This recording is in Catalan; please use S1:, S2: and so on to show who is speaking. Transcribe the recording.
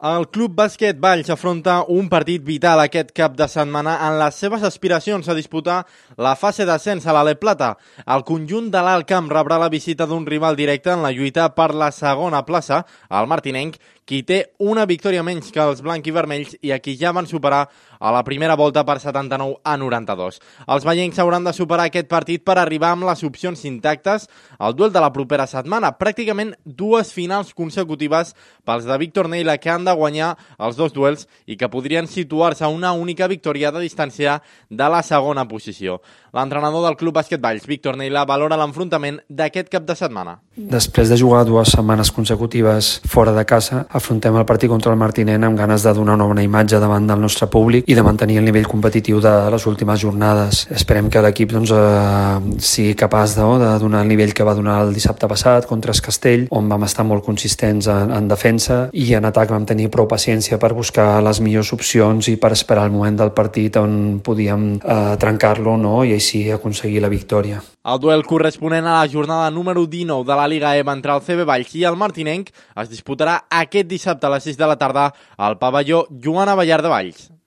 S1: El Club Bàsquet Valls afronta un partit vital aquest cap de setmana en les seves aspiracions a disputar la fase d'ascens a l'Ale Plata. El conjunt de l'Alt Camp rebrà la visita d'un rival directe en la lluita per la segona plaça, el martinenc, qui té una victòria menys que els blanc i vermells i a qui ja van superar a la primera volta per 79-92. Els vallencs hauran de superar aquest partit per arribar amb les opcions intactes al duel de la propera setmana. Pràcticament dues finals consecutives pels de Víctor Neila, que han de guanyar els dos duels i que podrien situar-se a una única victòria de distància de la segona posició. L'entrenador del Club Bàsquet Valls, Víctor Neila, valora l'enfrontament d'aquest cap de setmana.
S2: Després de jugar 2 setmanes consecutives fora de casa, afrontem el partit contra el Martinent amb ganes de donar una bona imatge davant del nostre públic i de mantenir el nivell competitiu de les últimes jornades. Esperem que l'equip sigui capaç de donar el nivell que va donar el dissabte passat contra el Castell, on vam estar molt consistents en defensa, i en atac vam tenir prou paciència per buscar les millors opcions i per esperar el moment del partit on podíem trencar-lo, i així aconseguir la victòria.
S1: El duel corresponent a la jornada número 19 de la Lliga EVA entre el CB Valls i el martinenc es disputarà aquest dissabte a les 6 de la tarda al pavelló Joan Abellar de Valls.